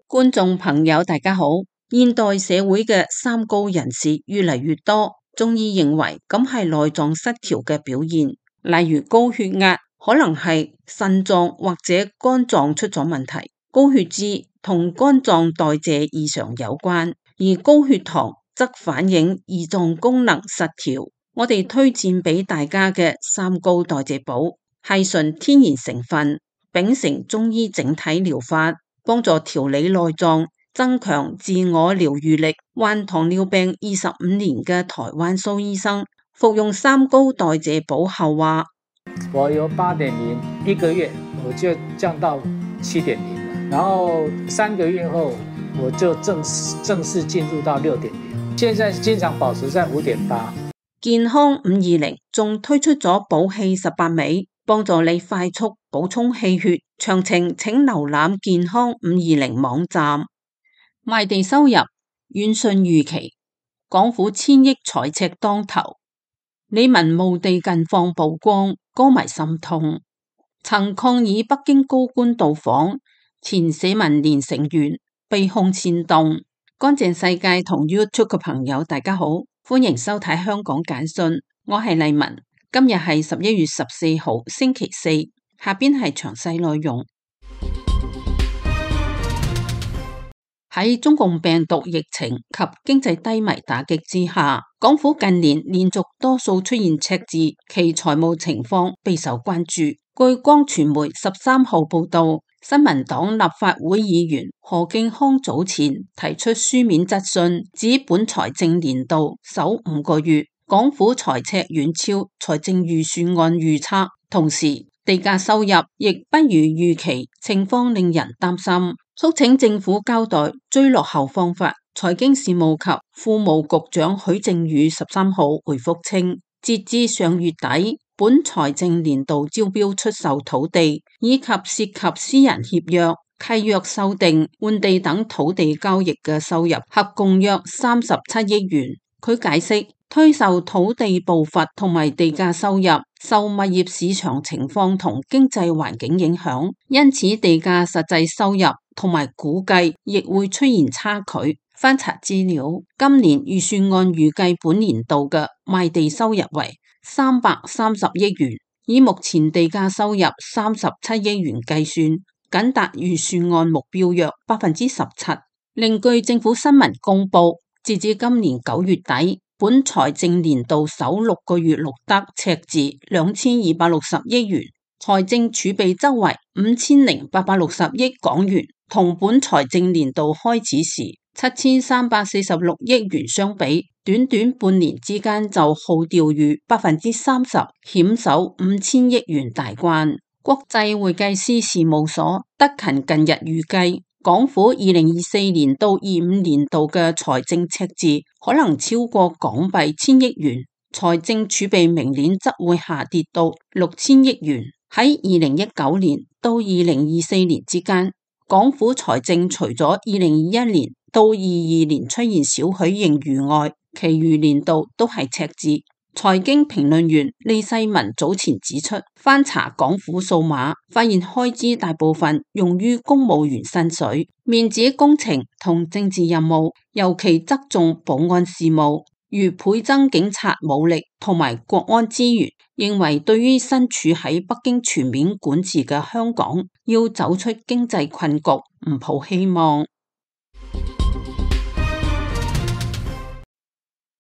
觀眾朋友大家好，現代社會嘅三高人士越嚟越多，中醫認為咁係內臟失調嘅表現，例如高血壓可能係腎臟或者肝臟出咗問題，高血脂同肝臟代謝異常有關，而高血糖則反映胰臟功能失調。我哋推薦俾大家嘅三高代謝寶係純天然成分，秉承中醫整體療法，幫助調理內臟，增強自我療癒力。患糖尿病25年嘅台灣蘇醫生服用三高代謝寶後話：我由8.0一個月我就降到7.0了，然後3個月後我就正式進入到6.0，現在經常保持在5.8。健康520仲推出咗補氣18味，幫助你快速補充氣血。詳情請瀏覽健康520網站。賣地收入遠遜預期，港府千億財赤當頭，李玟墓地近況曝光，歌迷心痛。曾抗議北京高官到訪，前社民連成員被控煽動。乾淨世界同 YouTube 嘅朋友大家好，歡迎收睇香港簡訊，我係麗文。今日係11月14號星期四，下邊係詳細內容。喺中共病毒疫情及經濟低迷打擊之下，港府近年連續多數出現赤字，其財務情況備受關注。據光傳媒13號報道，新民黨立法會議員何敬康早前提出書面質詢，指本財政年度首5個月港府財赤遠超財政預算案預測，同時地價收入亦不如預期，情況令人擔心，促請政府交代追落後方法。財經事務及庫務局長許正宇13號回覆稱，截至上月底，本財政年度招標出售土地以及涉及私人協約、契約修訂、換地等土地交易嘅收入合共約37億元。佢解釋，推售土地步伐同埋地價收入受物業市場情況同經濟環境影響，因此地價實際收入同埋估計亦會出現差距。翻查資料，今年預算案預計本年度嘅賣地收入為330億元，以目前地價收入37億元計算，僅達預算案目標約17%。另據政府新聞公佈，截至今年9月底，本財政年度首6個月錄得赤字2260億元，財政儲備則為5860億港元，同本財政年度開始時7346億元相比，短短半年之間就耗掉逾30%，險守5000億元大關。國際會計師事務所德勤近日預計，港府2024年到25年度嘅財政赤字可能超過港幣1000億元，財政儲備明年則會下跌到6000億元。喺2019年到2024年之間，港府財政除咗2021年到22年出現少許盈餘外，其餘年度都係赤字。財經評論員李世民早前指出，翻查港府數碼，發現開支大部分用於公務員薪水、面子工程同政治任務，尤其側重保安事務，如倍增警察武力同埋國安資源。認為對於身處喺北京全面管治嘅香港，要走出經濟困局，唔抱希望。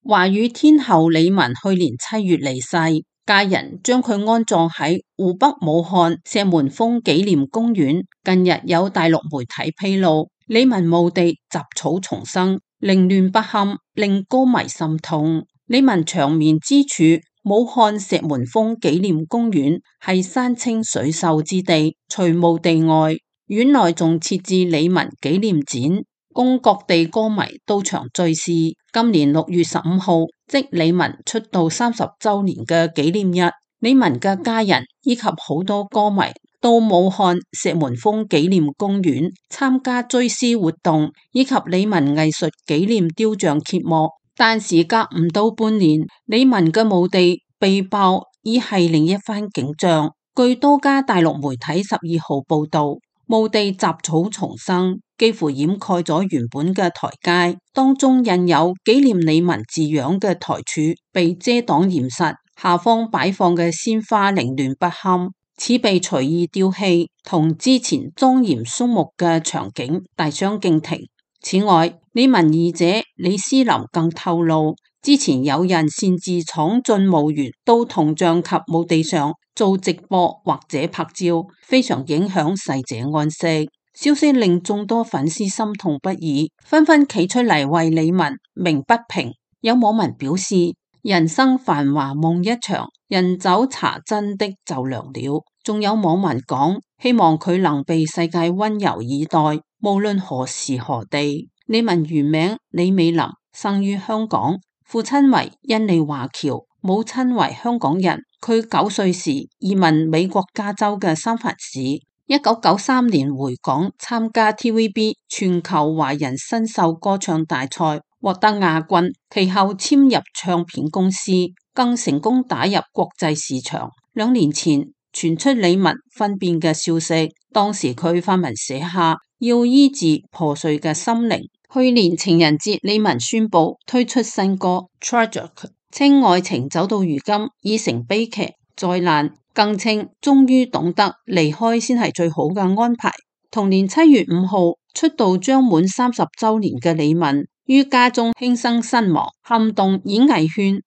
華語天后李玟去年7月離世，家人將佢安葬喺湖北武漢石門峰紀念公園。近日有大陸媒體披露，李玟墓地雜草叢生，凌亂不堪，令歌迷心痛。李玟長眠之處武漢石門峰紀念公園係山清水秀之地，除墓地外，院內仲設置李玟紀念展，供各地歌迷到場追思。今年6月15號，即李玟出道30週年嘅紀念日，李玟嘅家人以及好多歌迷到武漢石門峰紀念公園參加追思活動，以及李玟藝術紀念雕像揭幕。但時隔唔到半年，李玟嘅墓地被爆已係另一番景象。據多家大陸媒體12號報道，墓地雜草叢生，幾乎掩蓋咗原本嘅台階，當中印有紀念李玟字樣嘅台柱被遮擋嚴實，下方擺放嘅鮮花凌亂不堪，似被隨意丟棄，同之前莊嚴肅穆嘅場景大相徑庭。此外，李玟二姐李詩琳更透露，之前有人擅自闖進墓園到銅像及墓地上做直播或者拍照，非常影響逝者安息。消息令眾多粉絲心痛不已，紛紛企出嚟為李玟鳴不平。有網民表示，人生繁華夢一場，人走茶真的就涼了。仲有網民講，希望佢能被世界溫柔以待，無論何時何地。李玟原名李美琳，生於香港，父親為印尼華僑，母親為香港人。佢9歲時移民美國加州嘅三藩市，1993年回港參加 TVB 全球華人新秀歌唱大賽，獲得亞軍，其後簽入唱片公司，更成功打入國際市場。2年前傳出李玟糞變嘅消息，當時佢發文寫下要醫治破碎嘅心靈。去年情人節，李玟宣布推出新歌 Tragic， 稱愛情走到如今已成悲劇災難，更稱終於懂得離開先係最好嘅安排。同年7月5號出道將滿30週年嘅李玟於家中輕生身亡，撼動演藝圈。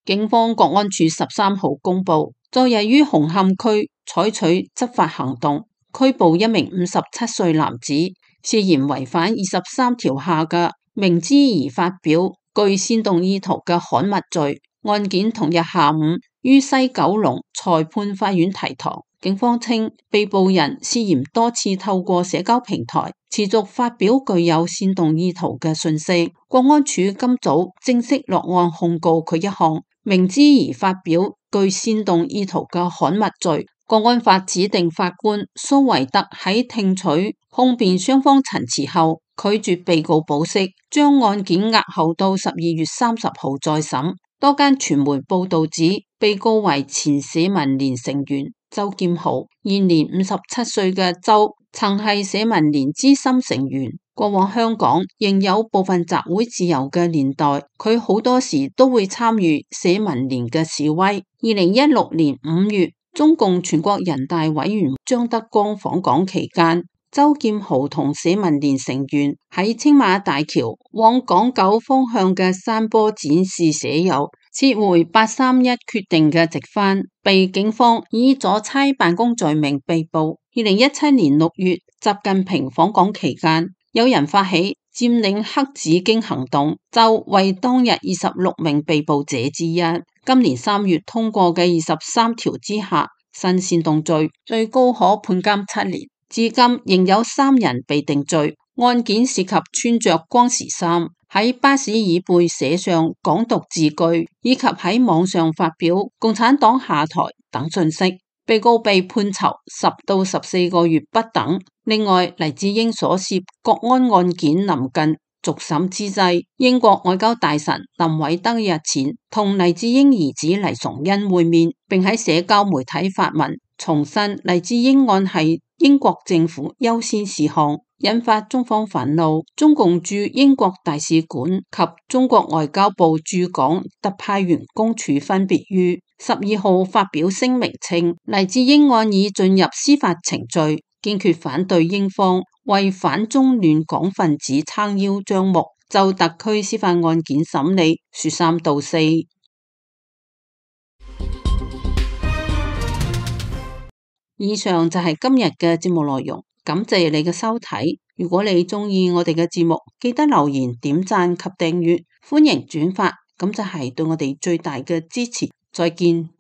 警方國安處13號公布，昨日於紅磡區採取執法行動，拘捕一名57歲男子，涉嫌違反23條下嘅明知而發表具煽動意圖嘅刊物罪。案件同日下午於西九龍裁判法院提堂。警方稱，被捕人涉嫌多次透過社交平台持續發表具有煽動意圖嘅訊息。國安處今早正式落案控告佢一項明知而發表具煽動意圖嘅刊物罪。國安法指定法官蘇維德喺聽取控辯雙方陳詞後，拒絕被告保釋，將案件押後到12月30號再審。多間傳媒報道指，被告為前社民連成員周劍豪，現年57歲嘅周曾係社民連資深成員。過往香港仍有部分集會自由嘅年代，佢好多時都會參與社民連嘅示威。2016年5月，中共全國人大委員張德江訪港期間，周劍豪同社民連成員喺青馬大橋往港九方向嘅山坡展示寫有撤回831決定嘅直幡，被警方以阻差辦公罪名被捕。2017年6月，習近平訪港期間，有人發起佔領黑紫荊行動，就為當日26名被捕者之一。今年3月通過嘅23條之下，新煽動罪最高可判監7年。至今仍有3人被定罪，案件涉及穿着光時衫，喺巴士椅背寫上港獨字句，以及喺網上發表共產黨下台等信息。被告被判囚10到14個月不等。另外，黎智英所涉國安案件臨近續審之際，英國外交大臣林偉德日前同黎智英兒子黎崇恩會面，並喺社交媒體發文重申黎智英案係英國政府優先事項，引發中方憤怒。中共駐英國大使館及中國外交部駐港特派員公署分別於12號發表聲明稱，黎智英案已進入司法程序，堅決反對英方為反中亂港分子撐腰張目，就特區司法案件審理說三道四。以上就係今日嘅節目內容，感謝你嘅收睇。如果你鍾意我哋嘅節目，記得留言、點讚及訂閱，歡迎轉發，咁就係對我哋最大嘅支持。再見。